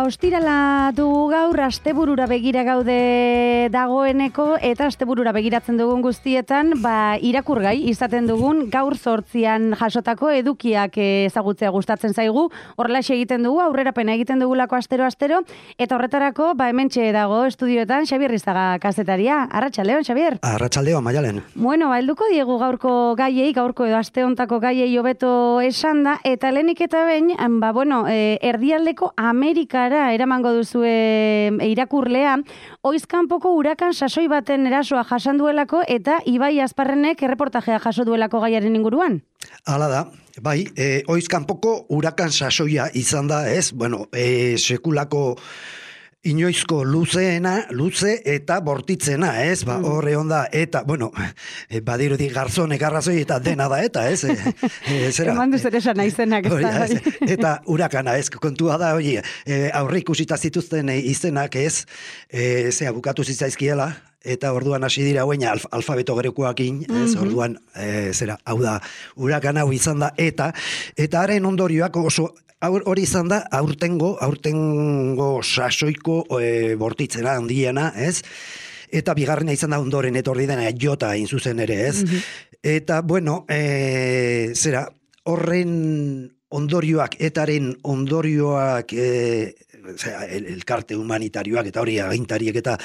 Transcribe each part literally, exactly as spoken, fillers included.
ostirala dugu gaur, asteburura begira gaude dagoeneko, eta asteburura begiratzen dugun guztietan, ba, irakurgai izaten dugun gaur zortzian jasotako edukiak ezagutzea gustatzen zaigu, horrelaxe egiten dugu, aurrerapena egiten dugulako astero-astero, eta horretarako, ba, hementxe dago estudioetan Xabier Rizaga kazetaria. Arratsaldeon, Xabier? Arratsaldeon, Maialen. Bueno, ba, helduko diegu gaurko gaiei, gaurko edo aste hontako gaiei hobeto esan da, eta lehenik eta behin, ba, bueno, e, erdialdeko Amerikara eramango duzue irakurlea, oizkanpoko urakan sasoi baten erasoa jasan duelako eta Ibai Azparrenek erreportajea jaso duelako gaiaren inguruan. Hala da, bai, e, oizkanpoko urakan sasoia izan da, ez? Bueno, e, sekulako inoizko luzeena, luze eta bortitzena, ez? Ba, horre onda, eta, bueno, e, badirudi garzonek arrazoi eta dena da, eta, ez? E, e, zera, Eman duz ere esan aizenak, ez da, bai. Eta urakana, ez? Kontua da, hori, e, aurre ikusita zituzten izenak, ez? E, zera, bukatu zitzaizkiela, eta orduan hasi dira hoeina alf, alfabeto grekoakin, ez? Mm-hmm. Orduan, e, zera, hau da, urakan hau izan da, eta, eta haren ondorioak oso, hori izan da, aurtengo, aurtengo sasoiko e, bortitzena handiena, ez? Eta bigarrena izan da ondoren etorri dena jota hain zuzen ere, ez? Mm-hmm. Eta, bueno, e, zera, horren ondorioak, etaren ondorioak, e, zera, el, elkarte humanitarioak eta hori agintariek eta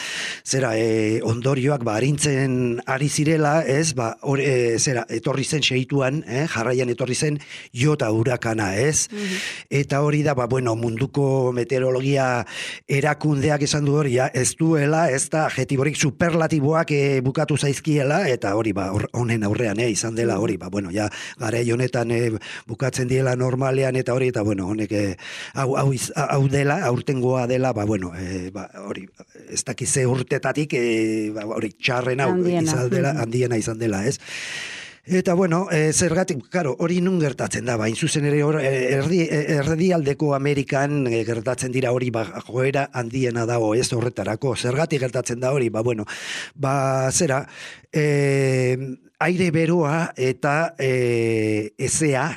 zera, e, ondorioak ba, arintzen ari zirela, ez, ba, or, e, zera, etorri zen segituan, eh, jarraian etorri zen jota urakana, ez, mm-hmm. Eta hori da, ba, bueno, munduko meteorologia erakundeak esan du hori, ez duela, ez da, adjetiborik superlatiboak e, bukatu zaizkiela, eta hori, ba, honen aurrean, eh, izan dela hori, ba, bueno, ja, garai honetan e, bukatzen diela normalean, eta hori, eta, bueno, honek, e, hau, hau, hau dela, aurtengoa dela, ba, bueno, e, ba, hori, ez dakize urtetatik, e, ba, hori, txarren hau izan dela, handiena izan dela, ez? Eta, bueno, e, zergatik, karo, hori nun gertatzen da, ba, zuzen ere hor, erdi, erdialdeko Amerikan e, gertatzen dira hori, ba, joera handiena dago, ez horretarako, zergatik gertatzen da hori, ba, bueno, ba, zera, e, aire beroa eta e, ezea,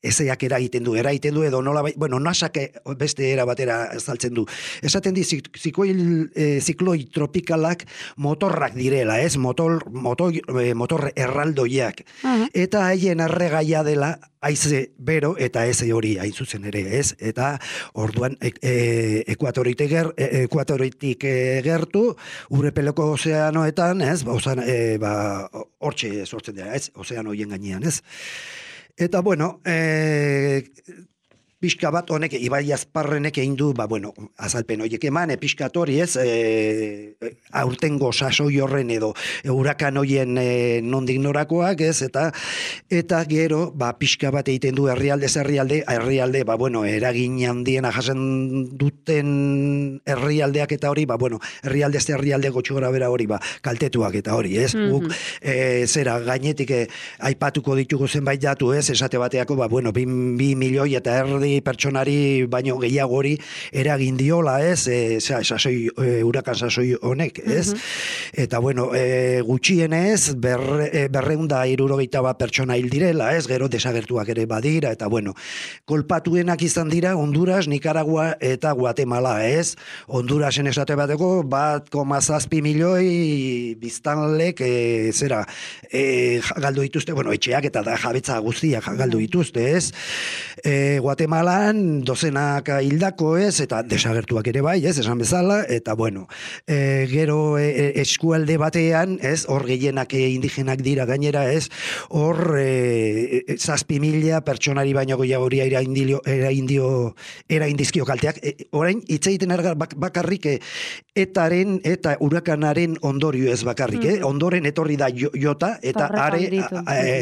ezeak eragiten du, eragiten du edo nola, bueno, nasak beste era batera saltzen du. Esaten di, zikoil, e, zikloi tropikalak motorrak direla, ez? Motor, motor, motor erraldoiak. Uh-huh. Eta haien erregaia dela haize bero eta eze hori hain zuzen ere, ez? Eta orduan e, e, ekuatoritik, ger, e, ekuatoritik e, gertu, urepeleko ozeanoetan, ez? Ba, ozean, e, ba, hortxe sortzen dira, ez? Ozeano hien gainean, ez? Eta, bueno, e, pixka bat honek, Ibai Azparrenek egin du, ba, bueno, azalpen horiek eman, e, pixka hori ez, e, aurtengo sasoi horren edo e, urakan horien e, nondik norakoak, ez, eta eta gero, ba, pixka bat egiten du herrialde herrialde, herrialde, ba, bueno, eragin handiena jasen duten herrialdeak eta hori, ba, bueno, herrialde herrialde gotxora bera hori, ba, kaltetuak eta hori, ez, mm-hmm. Guk, e, zera, gainetik e, aipatuko ditugu zenbait datu, ez, esate bateako, ba, bueno, bi, bi milioi eta erdi pertsonari baino gehiago hori eragin diola, ez, e, sasoi, e, urakan sasoi honek, ez, mm-hmm. Eta, bueno, e, gutxienez, ber, e, berreunda irurogeita bat pertsona hil direla, ez, gero desagertuak ere badira, eta, bueno, kolpatuenak izan dira Honduras, Nicaragua eta Guatemala, ez, Hondurasen esate bateko, bat koma zazpi milioi biztanlek, e, zera, e, galdu dituzte, bueno, etxeak eta da jabetza guztiak galdu dituzte, ez, e, Guatemala Malan, dozenak hildako, ez, eta desagertuak ere bai, ez, esan bezala, eta, bueno, e, gero e, eskualde batean, ez, hor gehienak e, indigenak dira gainera, ez, hor e, zazpi mila pertsonari baino gehiago hori era indio, era indio, era indizkio kalteak, e, orain, hitz egiten ergar bakarrik, e, etaren eta urakanaren ondorio ez bakarrik, mm-hmm. eh? Ondoren etorri da jota, eta are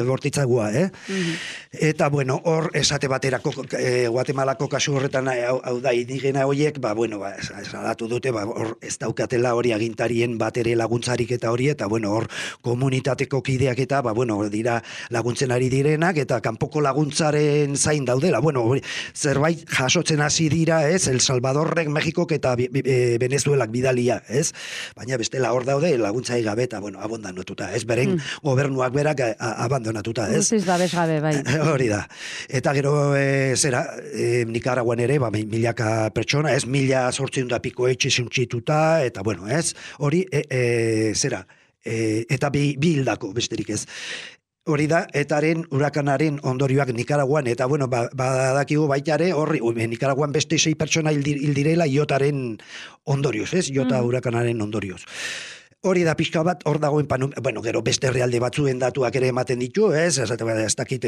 bortitzagua, eh? Mm-hmm. Eta, bueno, hor esate baterako, e, Guatemalako kasu horretan, hau, hau da, indigena horiek, ba, bueno, ba, salatu dute, ba, hor ez daukatela hori agintarien bat ere laguntzarik eta hori, eta, bueno, hor komunitateko kideak eta, ba, bueno, dira laguntzen ari direnak, eta kanpoko laguntzaren zain daudela, bueno, zerbait jasotzen hasi dira, ez, El Salvadorrek, Mexikok eta Venezuelak bidalia, ez, baina bestela hor daude laguntzai gabe, eta, bueno, abondanotuta, ez, beren mm. gobernuak berak abandonatuta, ez. Guztiz babes gabe, bai. Hori da. Eta gero, e, zera, e, Nikaraguan ere, ba, milaka pertsona, ez, mila sortzen da piko etxe suntsituta, eta bueno, ez, hori, e, e, zera, e, eta bi, bi hildako, besterik ez. Hori da, etaren urakanaren ondorioak Nikaraguan, eta bueno, badakigu ba, baitare, horri, Nikaraguan beste sei pertsona hildirela iotaren ondorioz, ez? Iota mm. urakanaren ondorioz. Hori da pixka bat, hor dagoen, panu, bueno, gero beste herrialde batzuen datuak ere ematen ditu, ez? Ez dakit,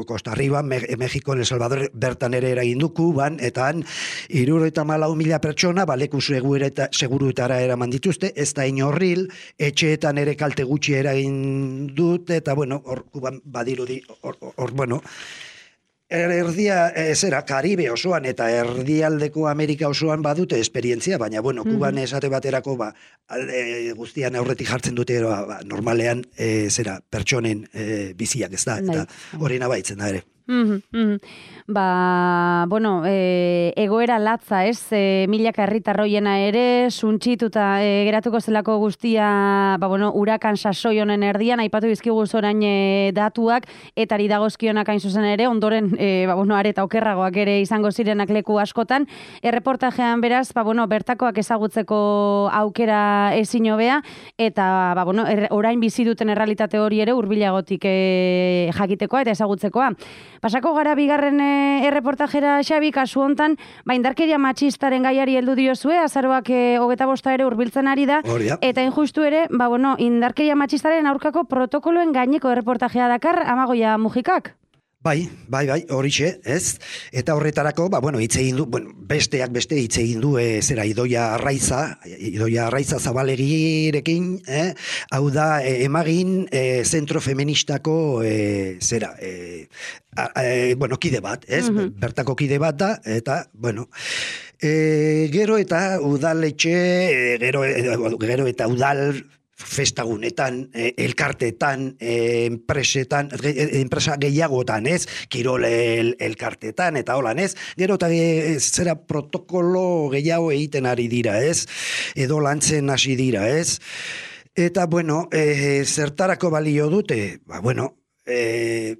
Costa Riba, Mexiko, El Salvador, bertan ere eragin du, Kuban, eta han, hirurogeita hamalau mila pertsona, baleku seguruetara eraman dituzte, ez da inorril, etxeetan ere kalte gutxi eragin dut, eta bueno, hor, Kuban badirudi, hor, hor, bueno, erdia, e, zera, Karibe osoan eta erdialdeko Amerika osoan badute esperientzia, baina, bueno, Kuban esate baterako, ba, alde guztian aurretik jartzen dute, ba, normalean, e, zera, pertsonen e, biziak ez da, eta hori nabaitzen da ere. Mm -hmm. Ba, bueno, e, egoera latza, ez? E, milaka herritarroiena ere, suntsituta e, geratuko zelako guztia, ba, bueno, urakan sasoi honen erdian, aipatu bizkigu zorain e, datuak, etari dagozkionak hain zuzen ere, ondoren, e, ba, bueno, areta okerragoak ere izango zirenak leku askotan. Erreportajean beraz, ba, bueno, bertakoak ezagutzeko aukera ezin hobea, eta, ba, bueno, er, orain bizi duten errealitate hori ere hurbilagotik e, jakitekoa eta ezagutzekoa. Pasako gara bigarren e, erreportajera, Xabi, kasu hontan, ba, indarkeria matxistaren gaiari heldu diozue, azaroak e, hogeta bosta ere hurbiltzen ari da, eta injustu ere, ba, bueno, indarkeria matxistaren aurkako protokoloen gaineko erreportajea dakar, Amagoia Mujikak? Bai, bai, bai, horixe, ez? Eta horretarako, ba, bueno, hitz egin du, bueno, besteak beste hitz egin du, e, zera, Idoia Arraiza, Idoia Arraiza Zabalegirekin, eh? Hau da, e, emagin, e, zentro feministako, e, zera, e, a, e, bueno, kide bat, ez? Mm-hmm. Bertako kide bat da, eta, bueno, e, gero eta udaletxe, e, gero, e, gero eta udal, festagunetan, eh, elkartetan, eh, enpresetan, eh, enpresa gehiagotan, ez? Kirol el, elkartetan, eta holan, ez? Gero eta eh, zera protokolo gehiago egiten ari dira, ez? Edo lantzen hasi dira, ez? Eta, bueno, eh, zertarako balio dute? Ba, bueno, eh,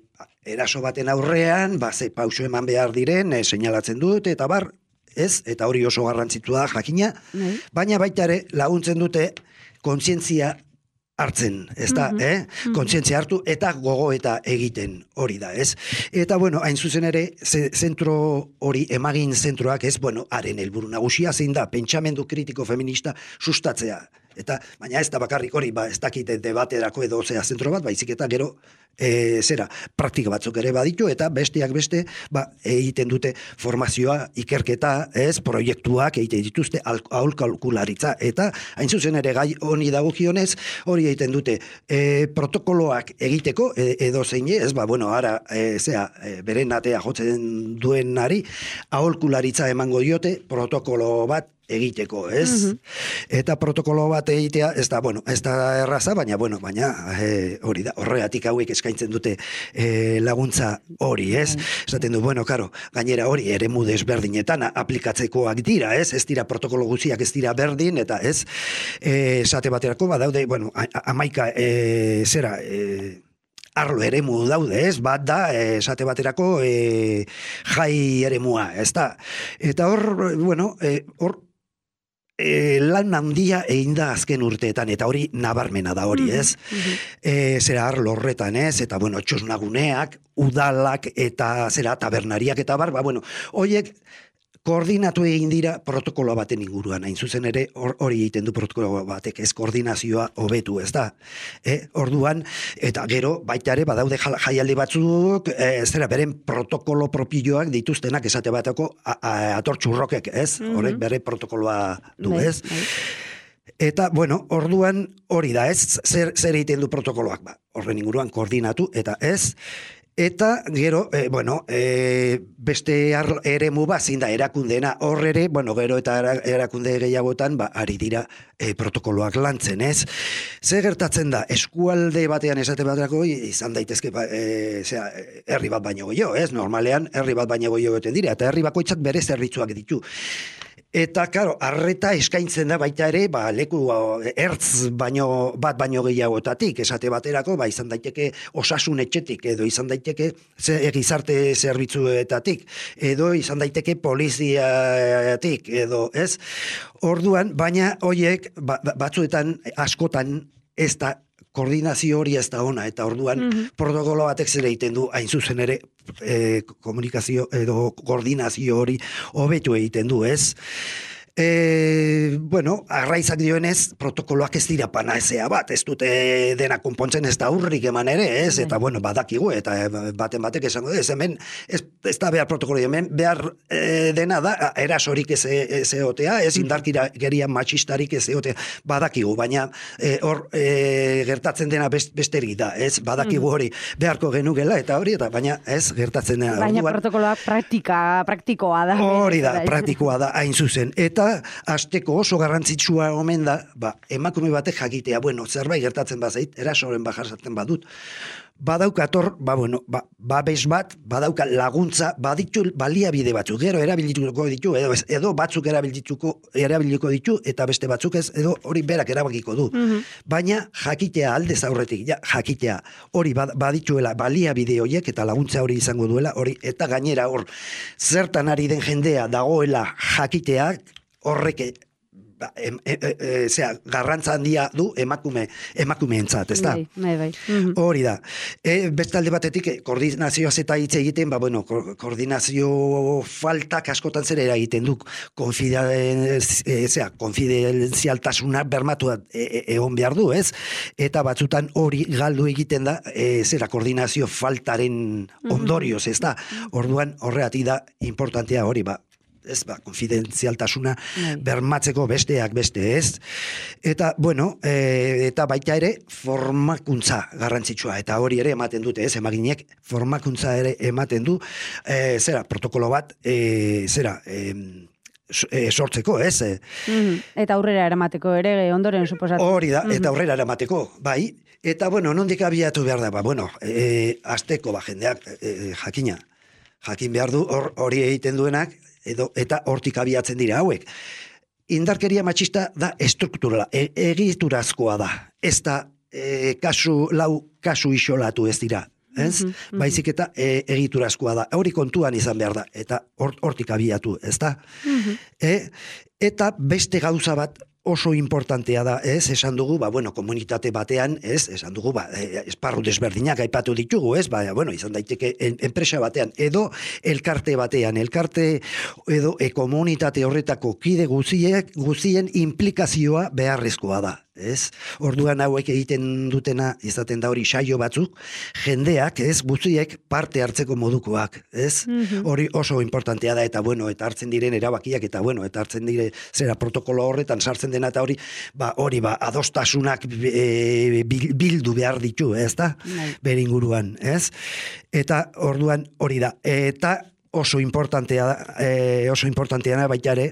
eraso baten aurrean, ba, ze pauso eman behar diren, eh, seinalatzen dute, eta bar, ez? Eta hori oso garrantzitu da, jakina, mm. baina baita ere laguntzen dute kontzientzia hartzen, ez da, mm-hmm. eh? Mm-hmm. Kontzientzia hartu eta gogo eta egiten hori da, ez? Eta, bueno, hain zuzen ere, zentro hori, emagin zentroak, ez, bueno, haren helburu nagusia zein da, pentsamendu kritiko feminista sustatzea. Eta, baina ez da bakarrik hori, ba, ez dakite debaterako edo zea zentro bat, baizik eta gero, e, zera, praktika batzuk ere baditu, eta besteak beste, ba, egiten dute formazioa, ikerketa, ez, proiektuak egiten dituzte, aholkularitza, eta hain zuzen ere gai honi dagokionez, hori egiten dute e, protokoloak egiteko, e, edo zein ez, ba, bueno, ara, e, zea, e, beren atea jotzen duenari, aholkularitza emango diote, protokolo bat, egiteko, ez? Mm-hmm. Eta protokolo bat egitea, ez da, bueno, ez da erraza, baina, bueno, baina e, hori da, horregatik hauek eskaintzen dute e, laguntza hori, ez? Mm-hmm. Esaten du, bueno, karo, gainera hori eremu desberdinetan aplikatzekoak dira, ez? Ez dira protokolo guztiak ez dira berdin, eta ez, e, esate baterako, badaude, bueno, amaika, e, zera, e, arlo eremu daude, ez? Bat da, esate baterako, e, jai eremua, ez da? Eta hor, bueno, e, hor, E, lan handia egin da azken urteetan, eta hori nabarmena da hori, ez? Mm-hmm. E, zera arlo horretan, ez? Eta, bueno, txosnaguneak, udalak, eta zera tabernariak, eta bar, ba, bueno, horiek koordinatu egin dira protokolo baten inguruan, hain zuzen ere hori egiten du protokolo batek, ez koordinazioa hobetu, ez da? E, orduan, eta gero, baita ere, badaude jaialdi batzuk, e, zera, beren protokolo propioak dituztenak esate batako atortxurrokek, ez? Mm-hmm. Horrek bere protokoloa du, ez? Bai, bai. Eta, bueno, orduan hori da, ez? Zer, zer egiten du protokoloak, ba? Horren inguruan koordinatu, eta ez? Eta, gero, e, bueno, e, beste eremu bat, zein da, erakundena horre, bueno, gero eta erakunde gehiagotan, ba, ari dira e, protokoloak lantzen, ez? Ze gertatzen da, eskualde batean esate baterako, izan daitezke, ba, e, zera, herri bat baino gehiago, ez? Normalean, herri bat baino gehiago goten dira, eta herri bakoitzak bere zerbitzuak ditu. Eta, karo, arreta eskaintzen da baita ere, ba, leku ertz baino, bat baino gehiagotatik, esate baterako, ba, izan daiteke osasun etxetik, edo izan daiteke ze, gizarte zerbitzuetatik, edo izan daiteke poliziatik, edo, ez? Orduan, baina hoiek, ba, batzuetan, askotan, ez da, koordinazio hori ez da ona, eta orduan mm-hmm. protokolo batek zer egiten du, hain zuzen ere, e, komunikazio edo koordinazio hori hobetu egiten du, ez? E, bueno, arraizak dioenez, protokoloak ez dira panazea bat, ez dute dena konpontzen ez da urrik eman ere, ez? Eta, bueno, badakigu, eta baten batek esango, ez hemen, ez, ez da behar protokolo, hemen behar e, dena da, erasorik ez egotea, ez indarkira geria matxistarik ez egotea, badakigu, baina hor e, gertatzen dena best, besterik da, ez? Badakigu hori beharko genukela, eta hori, eta baina ez gertatzen dena. Baina protokoloak praktika, praktikoa da. Hori da, praktikoa da, hain zuzen, eta hasteko oso garrantzitsua omen da, ba, emakume batek jakitea, bueno, zerbait gertatzen bazait, erasoren bajarzatzen badut, badaukator, ba, bueno, ba, babes bat, badauka laguntza, baditu baliabide batzuk, gero erabilituko ditu, edo, edo batzuk erabilituko, erabiliko ditu, eta beste batzuk ez, edo hori berak erabakiko du. Mm-hmm. Baina jakitea aldez aurretik, ja, jakitea, hori badituela baliabide horiek, eta laguntza hori izango duela, hori, eta gainera hor, zertan ari den jendea dagoela jakiteak, horrek ba, em, e, e, e, zera, garrantza handia du emakume emakumeentzat, ez da? Bai, bai, bai. Mm-hmm. Hori da. E, bestalde batetik, koordinazioaz eta hitz egiten, ba, bueno, ko, koordinazio faltak askotan zer eragiten du, konfidenzialtasuna konfidenzialtasuna bermatu e, e, egon behar du, ez? Eta batzutan hori galdu egiten da, e, zera, koordinazio faltaren ondorioz, ez da? Orduan, horregatik da, importantea hori, ba, ez ba, konfidenzialtasuna bermatzeko besteak beste, ez? Eta, bueno, e, eta baita ere formakuntza garrantzitsua, eta hori ere ematen dute, ez? Emaginek formakuntza ere ematen du, e, zera, protokolo bat, e, zera, e, sortzeko, ez? Mm-hmm. Eta aurrera eramateko ere, ondoren suposatu. Hori da, eta aurrera eramateko, bai. Eta, bueno, nondik abiatu behar da, ba, bueno, e, azteko, ba, jendeak, e, jakina, jakin behar du, hori egiten duenak, edo eta hortik abiatzen dira hauek. Indarkeria matxista da estrukturala, e, egiturazkoa da. Ez da e, kasu, lau kasu isolatu ez dira. Ez? Mm-hmm, mm-hmm. Baizik eta e, egiturazkoa da. Hori kontuan izan behar da. Eta hortik abiatu, ez da? Mm-hmm. E, eta beste gauza bat oso importantea da, ez, esan dugu, ba, bueno, komunitate batean, ez, esan dugu, ba, esparru desberdinak aipatu ditugu, ez, ba, bueno, izan daiteke en, enpresa batean, edo elkarte batean, elkarte edo e, komunitate horretako kide guziek, guzien implikazioa beharrezkoa da, ez, orduan hauek egiten dutena, izaten da hori saio batzuk, jendeak, ez, guziek parte hartzeko modukoak, ez, mm-hmm. hori oso importantea da, eta bueno, eta hartzen diren erabakiak, eta bueno, eta hartzen dire, zera protokolo horretan sartzen dena eta hori, ba, hori, ba, adostasunak e, bildu behar ditu, ez da? Bere inguruan, ez? Eta orduan hori da. Eta oso importantea da, e, oso importantea da baita ere,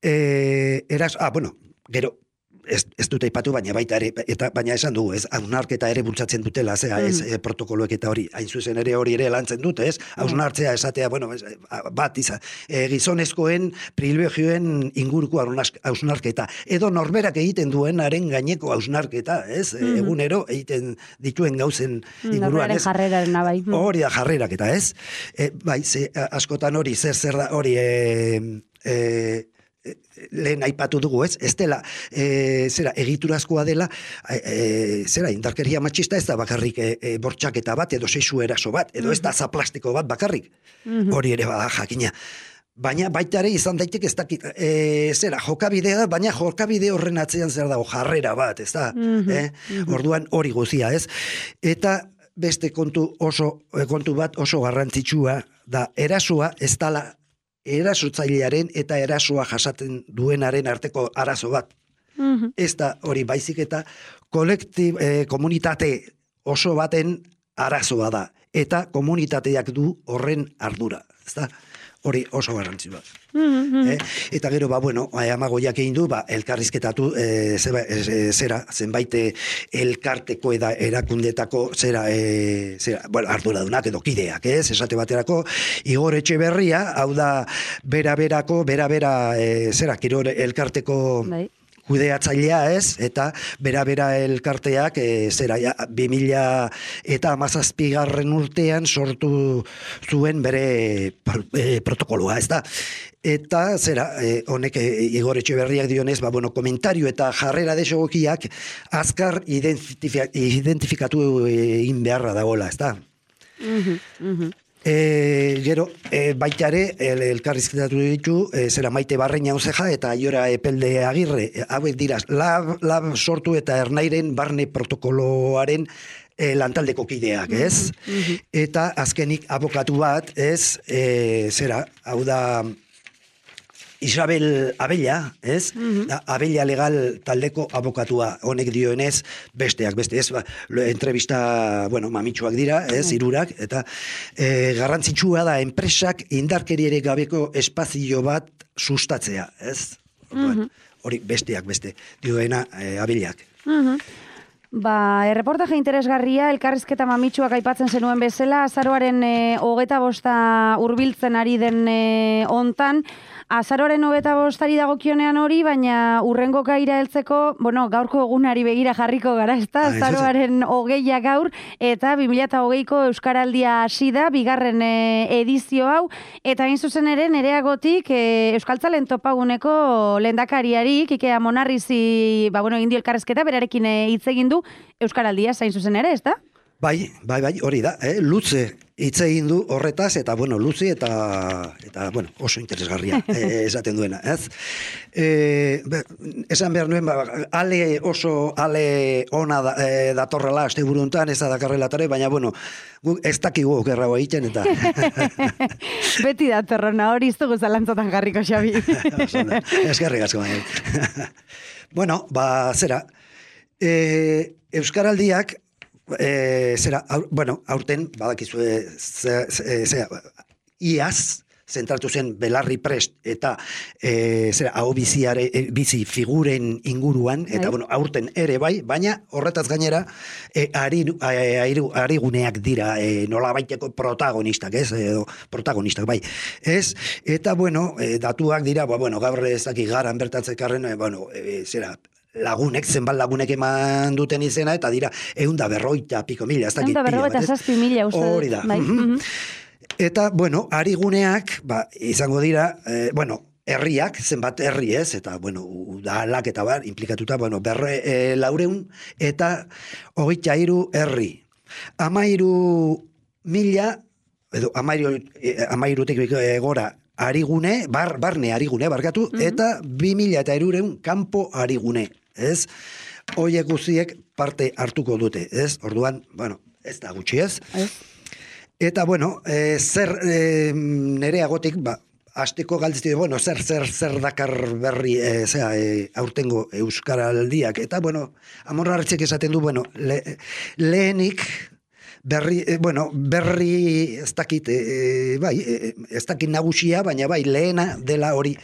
e, eraz, ah, bueno, gero, Ez, ez dute ipatu, baina baita ere, eta baina esan dugu, ez, hausnarketa ere bultzatzen dutela, zera, ez, mm. e, protokoloek eta hori, hain zuzen ere hori ere lantzen dute, ez, hausnartzea esatea, bueno, ez, bat izan, e, gizonezkoen privilegioen inguruko hausnarketa, edo norberak egiten duenaren gaineko hausnarketa, ez, mm. egunero egiten dituen gauzen inguruan, ez. Jarreraren abai. Hori da jarrerak eta, ez, e, bai, ze, askotan hori, zer zer da, hori, e, e, lehen aipatu dugu, ez? Ez dela, e, zera, egiturazkoa dela, e, zera, indarkeria matxista ez da bakarrik e, e, bortxaketa bat, edo sexu eraso bat, edo ez da zaplastiko bat bakarrik. Mm-hmm. Hori ere bada jakina. Baina baita ere izan daiteke ez dakit, e, zera, jokabidea da, baina jokabide horren atzean zer dago, jarrera bat, ez da? Mm-hmm. Eh? Mm-hmm. Orduan hori guzia, ez? Eta beste kontu oso, kontu bat oso garrantzitsua da, erasoa ez dala erasotzailearen eta erasoa jasaten duenaren arteko arazo bat. Mm-hmm. Ez da hori baizik eta kolektib, eh, komunitate oso baten arazoa da. Eta komunitateak du horren ardura. Ez da? hori oso garrantzitsua. Mm-hmm. Eh? Eta gero, ba, bueno, Amagoiak egin du, ba, elkarrizketatu, e, zeba, e, zera, zenbait elkarteko eda erakundetako, zera, e, zera, bueno, arduradunak edo kideak, ez, esate baterako, Igor Etxeberria, hau da, bera-berako, bera-bera, e, zera, Kirol elkarteko... Bai. Kudeatzailea ez, eta bera-bera elkarteak, e, zera, ja, bi mila eta hamazazpigarren urtean sortu zuen bere e, protokoloa, ez da. Eta, zera, e, honek e, Igor Etxeberriak dionez, ba, bueno, komentario eta jarrera desogokiak azkar identifi- identifikatu egin beharra dagoela, ez da. Mhm, mhm. E, gero, e, baita ere, el, elkarrizketatu ditu, e, zera Maite Barreña Ozeja eta Aiora Epelde Agirre, e, hauek dira, lab, lab sortu eta ernairen barne protokoloaren e, lantaldeko kideak, ez? Mm-hmm. Eta azkenik abokatu bat, ez, e, zera, hau da... Isabel Abella, ez? Mm-hmm. Abella legal taldeko abokatua honek dioenez, besteak, beste, ez? Ba, entrevista, bueno, mamitsuak dira, ez? Hirurak, eta e, garrantzitsua da enpresak indarkeriere gabeko espazio bat sustatzea, ez? Mm-hmm. Hori besteak, beste, dioena e, Abellak. Mm-hmm. Ba, erreportaje interesgarria, elkarrizketa mamitsuak aipatzen zenuen bezala, azaroaren e, hogeta bosta hurbiltzen ari den e, hontan, azaroaren hogeta bostari dagokionean hori, baina urrengo gaira heltzeko, bueno, gaurko egunari begira jarriko gara, ezta? Azaroaren hogeia gaur, eta bi mila hogeiko Euskaraldia hasi da, bigarren e, edizio hau, eta hain zuzen ere nereagotik e, Euskaltzalen topaguneko lehendakariari, Kike Amonarrizi, ba, bueno, egin dio elkarrizketa, berarekin hitz egin du Euskaraldia zain zuzen ere, ezta? Bai, bai, bai, hori da, eh? Luze hitz egin du horretaz, eta, bueno, luze eta, eta bueno, oso interesgarria eh, esaten duena, ez? Eh, be, esan behar nuen, ba, ale oso, ale ona da, eh, datorrela aste buruntan, ez da dakarrelatare, baina, bueno, gu, ez dakigu okerrago egiten, eta... Beti datorrona, hori iztugu zalantzatan jarriko, Xabi. Eskerrik asko, bai. Bueno, ba, zera, eh, Euskaraldiak, E, zera, aur, bueno, aurten, badakizue, ze, ze, ze, iaz, zentratu zen belarri prest, eta e, zera, hau biziare, e, bizi figuren inguruan, eta, bai. Bueno, aurten ere bai, baina horretaz gainera, e, ari, ari, ari guneak dira, e, nola baiteko protagonistak, ez, edo protagonistak, bai, ez, eta, bueno, e, datuak dira, ba, bueno, gaur ez dakik garan bertatzekarren, e, bueno, e, zera, lagunek, zenbat lagunek eman duten izena, eta dira, eunda berroita piko mila, ez dakit pila. Eunda berroita zazpi mila, uste. Hori da. Bai. Mm-hmm. Eta, bueno, ariguneak, ba, izango dira, eh, bueno, herriak, zenbat herri ez, eta, bueno, udalak eta bar, implikatuta, bueno, berre eh, laureun, eta hogeita hiru herri. Amairu mila, edo amairu, eh, amairutik gora, arigune, bar, barne arigune, barkatu, mm-hmm. eta bi mila eta erureun kanpo arigune, ez? Hoiek guztiek parte hartuko dute, ez? Orduan, bueno, ez da gutxi, ez? Ez. Eta, bueno, e, zer e, nereagotik, ba, asteko galtzite, bueno, zer, zer, zer dakar berri, e, zera, e, aurtengo Euskaraldiak, eta, bueno, Amorartzek esaten du, bueno, le, lehenik, Berri, eh, bueno, berri ez dakit, eh, bai, eh, ez dakit nagusia, baina bai, lehena dela hori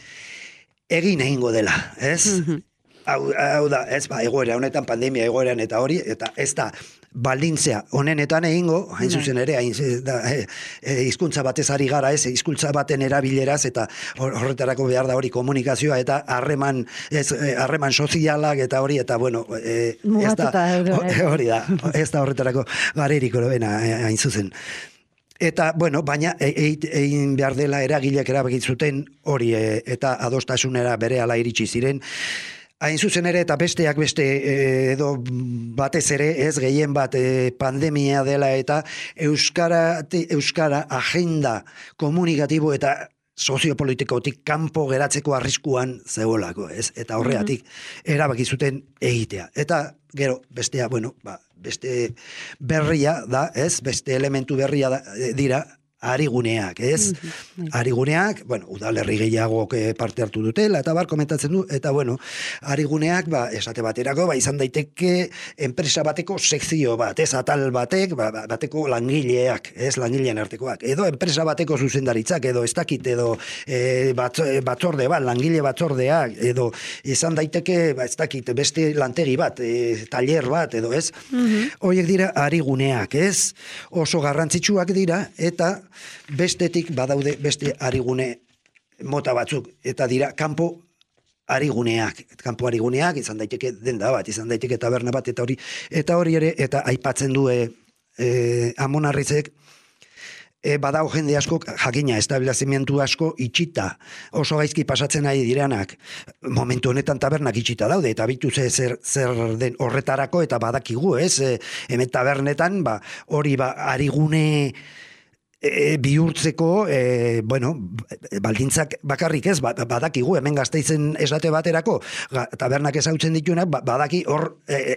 egin egingo dela, ez? Mm-hmm. Hau, hau da, ez, ba, egoera honetan, pandemia egoeran eta hori, eta ez da, baldintzea honenetan egingo, hain zuzen ere, hain, da, e, e, hizkuntza batez ari gara, ez, hizkuntza baten erabileraz, eta horretarako behar da hori komunikazioa, eta harreman, ez, harreman sozialak, eta hori, eta bueno, e, ez da, hori da, ez da horretarako gareriko bena, hain zuzen. Eta, bueno, baina egin behar dela eragileak erabakit zuten hori, e, eta adostasunera berehala iritsi ziren, hain zuzen ere eta besteak beste edo batez ere ez gehien bat e, pandemia dela eta Euskara, Euskara agenda komunikatibo eta soziopolitikotik kanpo geratzeko arriskuan zegoelako, ez? Eta horregatik mm-hmm. erabaki zuten egitea. Eta gero bestea, bueno, ba, beste berria da, ez? Beste elementu berria da, dira ariguneak, ez? Mm-hmm. Ariguneak, bueno, udalerri gehiagok parte hartu dutela, eta bar, komentatzen du, eta bueno, ariguneak, ba, esate baterako, ba, izan daiteke enpresa bateko sekzio bat, ez? Atal batek, ba, bateko langileak, ez? Langileen artekoak, edo enpresa bateko zuzendaritzak, edo ez dakit, edo e, bat, batzorde bat, langile batzordeak, edo izan daiteke, ba, ez dakit, beste lantegi bat, e, taller bat, edo ez? Mm-hmm. Horiek dira ariguneak, ez? Oso garrantzitsuak dira, eta bestetik badaude beste arigune mota batzuk, eta dira kanpo ariguneak, kanpo ariguneak, izan daiteke denda bat, izan daiteke taberna bat, eta hori eta hori ere, eta aipatzen du e, e, Amonarrizek, e, badao jende asko, jakina, establezimientu asko itxita, oso gaizki pasatzen ari diranak, momentu honetan tabernak itxita daude, eta bitu ze, zer, zer den horretarako, eta badakigu, ez, e, hemen tabernetan, ba, hori ba, arigune E, bihurtzeko, e, bueno, baldintzak bakarrik ez, badakigu, hemen Gasteizen esate baterako, tabernak ezautzen dituenak, badaki hor e,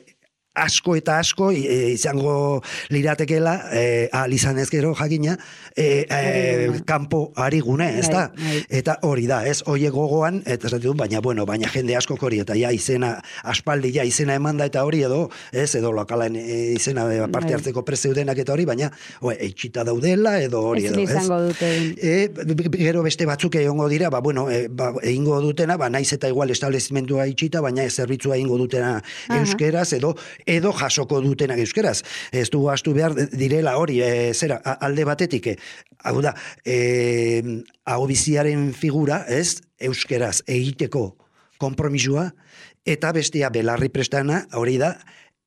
asko eta asko e, izango liratekela, e, ahal izan ezkero jakina, e, e, kanpo arigune, ez da? Eta hori da, ez, oie gogoan, eta ez dut, baina, bueno, baina jende asko hori, eta ja izena, aspaldi ja izena emanda eta hori edo, ez, edo lokalen e, izena parte hartzeko prezeudenak eta hori, baina, oe, eitxita daudela, edo hori edo, ez? E, gero beste batzuk egongo dira, ba, bueno, e, ba, egingo dutena, ba, naiz eta igual establezimendua itxita, baina zerbitzua egingo dutena euskeraz, edo edo jasoko dutenak euskeraz. Ez du astu behar direla hori, e, zera, alde batetik, e, hau da, e, hau biziaren figura, ez, euskeraz egiteko konpromisua, eta bestea belarri prestana, hori da,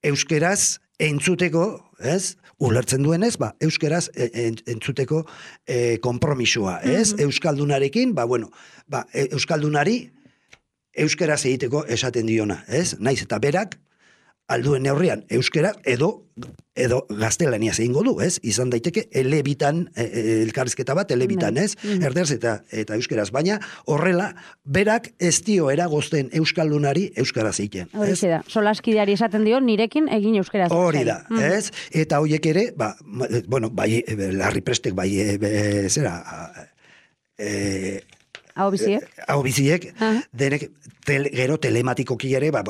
euskeraz entzuteko, ez, ulertzen duenez, ba, euskeraz entzuteko e, konpromisua, ez, mm-hmm. Euskaldunarekin, ba, bueno, ba, euskaldunari euskeraz egiteko esaten diona, ez, naiz eta berak, alduen neurrian euskera edo edo gaztelaniaz egingo du, ez? Izan daiteke elebitan, elkarrizketa bat elebitan, ez? Erderaz eta eta euskeraz, baina horrela berak ez dio eragozten euskaldunari euskaraz egiten. Hori da, solaskideari esaten dio nirekin egin euskaraz. Hori da, ez? Eta horiek ere, ba, bueno, bai, Larri Prestek, bai, e, zera, e, hau biziek, hau biziek, denek tel, gero telematikoki ere, ba,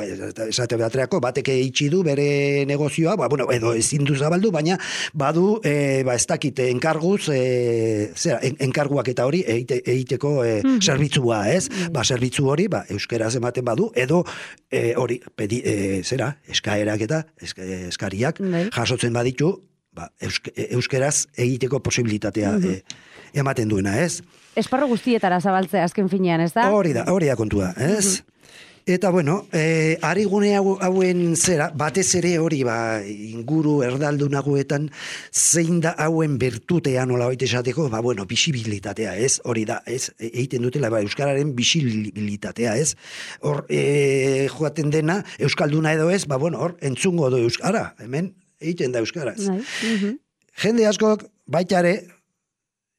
esate baterako, bateke itxi du bere negozioa, ba, bueno, edo ezin du zabaldu, baina badu, e, ba, ez dakite enkarguz, e, zera, en, enkarguak eta hori eite, eiteko e, mm-hmm. zerbitzua, ez? Mm-hmm. Ba, zerbitzu hori, ba, euskeraz ematen badu, edo e, hori, pedi, e, zera, eskaerak eta eskariak mm-hmm. jasotzen baditu, ba, euske, euskeraz egiteko posibilitatea mm-hmm. e, ematen duena, ez? Esparro guztietara zabaltzea azken finean, ez da? Hori da, hori da kontua, ez? Mm-hmm. Eta, bueno, e, arigune hauen zera, batez ere hori, ba, inguru erdaldunagoetan, zein da hauen bertutea nola hoite esateko, ba, bueno, bisibilitatea, ez? Hori da, ez? Egiten dutela, ba, euskararen bisibilitatea, ez? Hor, e, joaten dena, euskalduna edo ez, ba, bueno, hor, entzungo du euskara, hemen, egiten da euskaraz. Mm-hmm. Jende askok, baitare,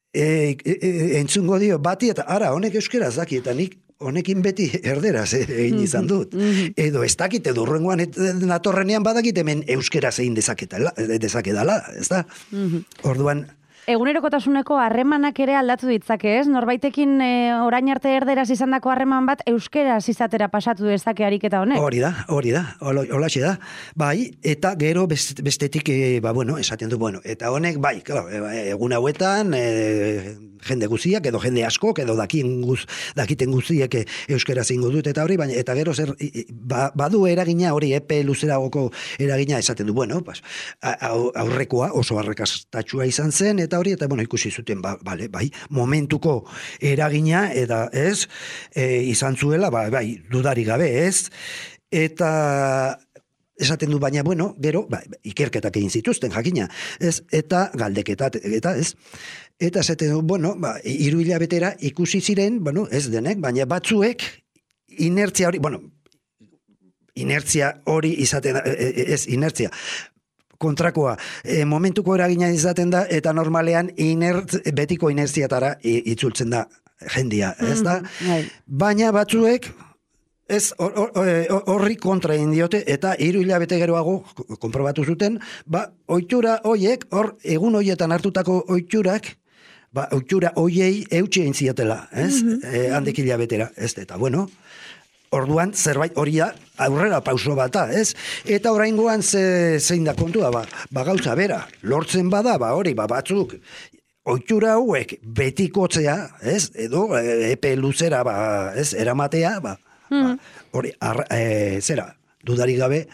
E, e, e, entzungo dio bati eta ara honek euskaraz daki eta nik honekin beti erderaz egin izan dut. Mm-hmm. Edo ez dakit, edo urrengoan natorrenean badakit hemen euskaraz egin dezakedala, ez da? Mm-hmm. Orduan, egunerokotasuneko harremanak ere aldatu ditzake, ez? Norbaitekin e, orain arte erderaz izandako harreman bat euskeraz izatera pasatu dezake ariketa honek. Hori da, hori da, holaxe da. Bai, eta gero bestetik, e, ba, bueno, esaten du, bueno, eta honek, bai, claro, egun hauetan, e, jende guziak, edo jende askok, edo dakien guz, dakiten guziek e, euskeraz ingo dut, eta hori, baina, eta gero zer, ba, badu eragina hori, epe luzeragoko eragina esaten du, bueno, pues, aurrekoa oso arrakastatxua izan zen, eta hori, eta bueno, ikusi zuten, ba, bale, bai, momentuko eragina, eta ez, e, izan zuela, ba, bai, dudari gabe, ez, eta esaten du, baina, bueno, gero, ba, ikerketak egin zituzten, jakina, ez, eta galdeketat, eta ez, eta esaten du, bueno, ba, hiru hilabetera ikusi ziren, bueno, ez denek, baina batzuek, inertzia hori, bueno, inertzia hori izaten, ez, inertzia, kontrakoa, e, momentuko eragina izaten da, eta normalean inert, betiko inertziatara itzultzen da jendia, ez da? Mm-hmm. Baina batzuek, ez horri kontra egin diote, eta hiru hilabete geroago konprobatu zuten, ba, ohitura hoiek, hor, egun hoietan hartutako ohiturak, ba, oitxura hoiei eutxe egin ziotela, ez? Mm -hmm. e, handik hilabetera, ez? Eta, bueno, orduan, zerbait hori da, aurrera pauso bata, ez? Eta oraingoan ze, zein da kontua, ba, ba gauza bera, lortzen bada, ba hori, ba batzuk, oitxura hauek betikotzea, ez? Edo epe luzera, ba, ez? Eramatea, ba, mm. ba hori, arra, e, zera, dudarik gabe,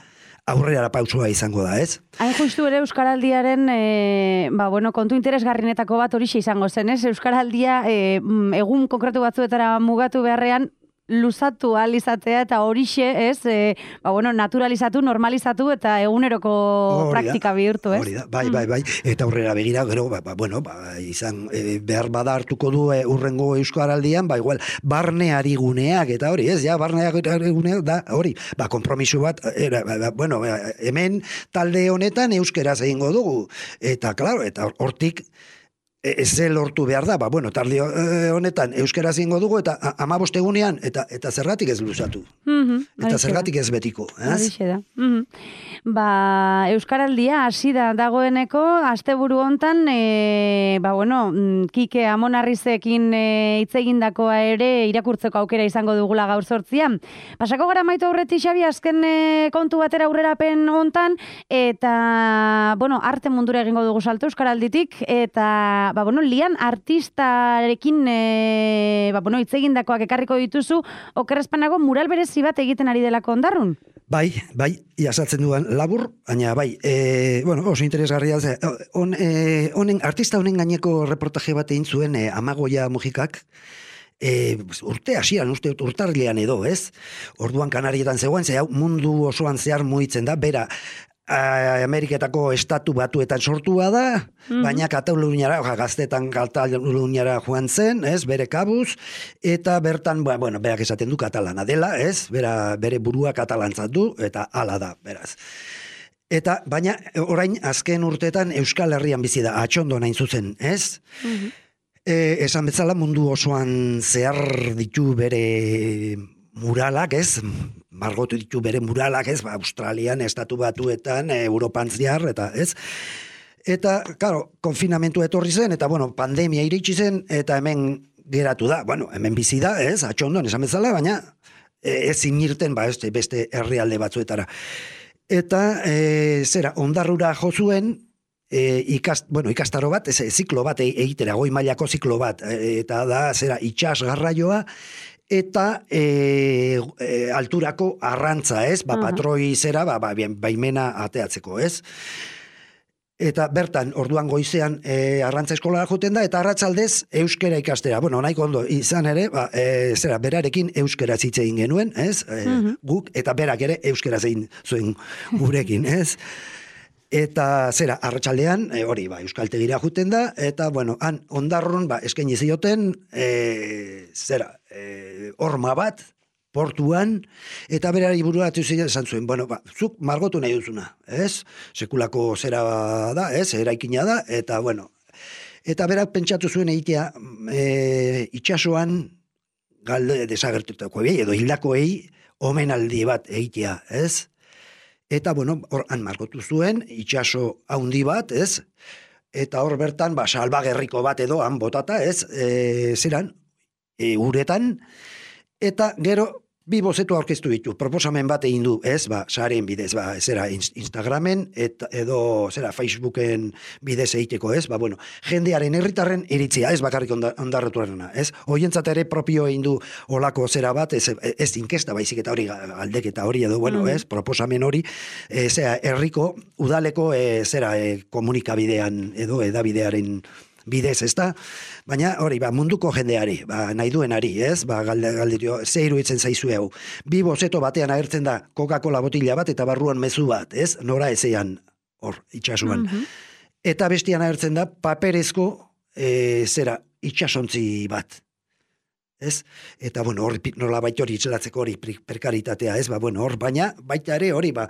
aurrera pausua izango da, ez? Hain justu ere Euskaraldiaren, e, ba, bueno, kontu interesgarrinetako bat horixe izango zen, ez? Euskaraldia e, egun konkretu batzuetara mugatu beharrean, luzatu alizatea eta horixe, ez, e, ba, bueno, naturalizatu, normalizatu eta eguneroko Orida, praktika bihurtu, ez? Hori da, bai, bai, bai, eta aurrera begira, gero, ba, ba, bueno, ba, izan, e, behar bada hartuko du e, urrengo Euskaraldian, ba, igual, barneari guneak, eta hori, ez, ja, barneari guneak, da, hori, ba, kompromiso bat, era, ba, bueno, hemen talde honetan euskeraz egingo dugu, eta, klaro, eta hortik, ez lortu behar da, ba, bueno, tarde honetan euskera zingo dugu, eta amabost egunean, eta, eta zergatik ez luzatu. Mm-hmm, eta zergatik ez betiko. Horixe da. Mm-hmm. Ba, Euskaraldia hasi da dagoeneko, asteburu hontan, e, ba, bueno, Kike Amonarrizekin hitz e, egindakoa ere irakurtzeko aukera izango dugula gaur sortzian. Pasako gara maitu aurretik, Xabi, azken e, kontu batera aurrerapen hontan, eta, bueno, arte mundura egingo dugu salto Euskaralditik, eta ba, bueno, lian artistarekin e, ba, bueno, itzegindakoak ekarriko dituzu, okerrezpanago mural berezi bat egiten ari delako Ondarrun? Bai, bai, jasatzen duan labur, baina bai, e, bueno, oso interesgarria, on, e, onen, artista honen gaineko reportaje bat egin zuen e, Amagoia Mujikak, E, urte hasian, uste urtarrilean edo, ez? Orduan Kanarietan zegoen, ze hau mundu osoan zehar mugitzen da, bera, Ameriketako estatu batuetan sortua da, mm-hmm. baina Kataluniara, gaztetan Kataluniara joan zen, ez, bere kabuz, eta bertan, ba, bueno, berak esaten du katalana dela, ez, bera, bere burua katalantzat du, eta hala da, beraz. Eta, baina, orain, azken urteetan Euskal Herrian bizi da, atxondo nain zuzen, ez? Mm-hmm. E, esan betzala mundu osoan zehar ditu bere muralak, ez? Margotu ditu bere muralak, ez? Ba, Australian, Estatu Batuetan, Europan zehar, eta, ez? Eta, claro, konfinamentu etorri zen, eta, bueno, pandemia iritsi zen, eta hemen geratu da. Bueno, hemen bizi da, ez? Atxondon, esan bezala, baina ez inirten, ba, ez, beste herrialde batzuetara. Eta, e, zera, Ondarrura jo zuen, E, ikast, bueno, ikastaro bat, ez, ziklo bat egitera, goi mailako ziklo bat, e, eta da, zera, itxas garraioa, eta e, e, alturako arrantza, ez, ba, patroi zera, ba, ba, baimena ateatzeko, ez. Eta bertan, orduan goizean e, arrantza eskolara joten da, eta arratsaldez euskera ikastera. Bueno, nahiko ondo, izan ere, ba, e, zera, berarekin euskera zitze egin genuen, ez, e, uh-huh. guk, eta berak ere euskera zein zuen gurekin, ez. Eta zera, arratsaldean e, hori, ba, euskaltegira juten da, eta, bueno, han Ondarrun, ba, eskaini zioten, e, zera, e, horma bat, portuan, eta berari bururatu ziren esan zuen, bueno, ba, zuk margotu nahi duzuna, ez? Sekulako zera da, ez? Eraikina da, eta, bueno, eta berak pentsatu zuen egitea, e, itxasoan, galde desagertutako edo hildakoei, omenaldi bat egitea, ez? Eta, bueno, hor han margotu zuen, itxaso haundi bat, ez? Eta hor bertan, ba, salbagerriko bat edo, han botata, ez? E, zeran, e, uretan, eta gero, bi bozetu aurkeztu ditu, proposamen bat egin du, ez? Ba, sareen bidez, ba, zera, Instagramen, eta, edo, zera, Facebooken bidez egiteko, ez? Ba, bueno, jendearen herritarren iritzia, ez bakarrik ondarretuarena, ez? Hoientzat ere propio egin du olako zera bat, ez, ez inkesta, baizik eta hori aldeketa hori edo, bueno, ez? Proposamen hori, e, zera, herriko, udaleko, e, zera, e, komunikabidean edo edabidearen bidez, ez da? Baina, hori, ba, munduko jendeari, ba, nahi duenari, ez? Ba, galde, galderio, ze iruditzen zaizu hau. Bi bozeto batean agertzen da Coca-Cola botila bat eta barruan mezu bat, ez? Nora ezean, hor, itxasuan. Mm-hmm. Eta bestian agertzen da paperezko, e, zera, itxasontzi bat. Ez? Eta, bueno, hori nola baita hori itxelatzeko hori prekaritatea, ez? Ba, bueno, hor, baina, baita ere hori, ba,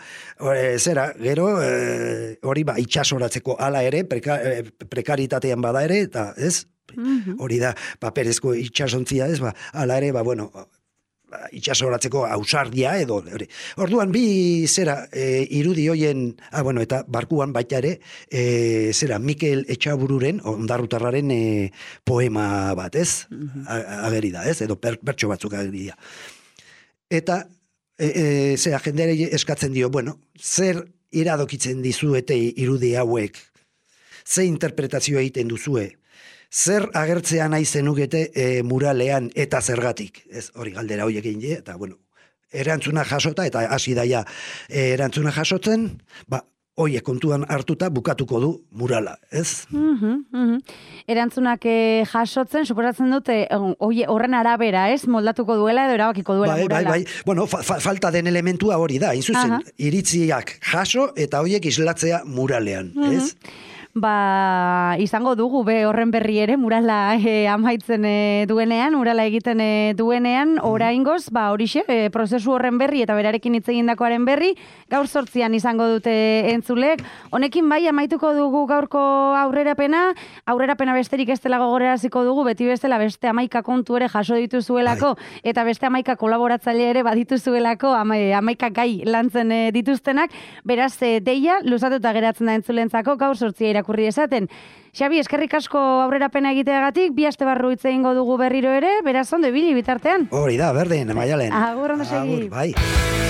e, zera, gero, e, hori, ba, itxasoratzeko ala ere, preka, e, prekaritatean bada ere, eta, ez? Mm-hmm. Hori da, paperezko itxasontzia, ez? Ba, ala ere, ba, bueno, itxasoratzeko ausardia edo hori. Orduan bi zera e, irudi hoien, ah, bueno, eta barkuan baita ere, e, zera Mikel Etxabururen, ondarrutarraren e, poema bat, ez? Mm-hmm. Ageri da, ez? Edo per, bertso batzuk ageri da. Eta e, e, zera jendeari eskatzen dio, bueno, zer iradokitzen dizuete irudi hauek, ze interpretazioa egiten duzue, zer agertzea nahi zenukete e, muralean eta zergatik, ez hori galdera horiek egin die, eta bueno, erantzuna jasota, eta hasi daia e, erantzuna jasotzen, ba, oie kontuan hartuta bukatuko du murala, ez? Mm-hmm, mm-hmm. Erantzunak eh, jasotzen, suposatzen dute, oie, horren arabera, ez? Moldatuko duela edo erabakiko duela bai, murala. Bai, bai, bueno, fa, fa, falta den elementua hori da, inzuzen, iritziak jaso eta hoiek islatzea muralean, mm-hmm. ez? Ba, izango dugu be horren berri ere murala e, amaitzen e, duenean, murala egiten e, duenean, oraingoz, ba, horixe, e, prozesu horren berri eta berarekin hitz egindakoaren berri, gaur zortzian izango dute entzulek. Honekin bai, amaituko dugu gaurko aurrerapena, aurrerapena besterik ez dela gogoraraziko dugu, beti bestela beste hamaika kontu ere jaso dituzuelako, bai. Eta beste hamaika kolaboratzaile ere badituzuelako, ama, hamaika gai lantzen e, dituztenak, beraz, e, deia, luzatuta geratzen da entzulentzako, gaur zortzia irakurri esaten. Xabi, eskerrik asko aurrerapena egiteagatik, bi aste barru hitz egingo dugu berriro ere, beraz ondo ibili bitartean. Hori da, berdin, Maialen. Agur, ondo segi. Agur, bai.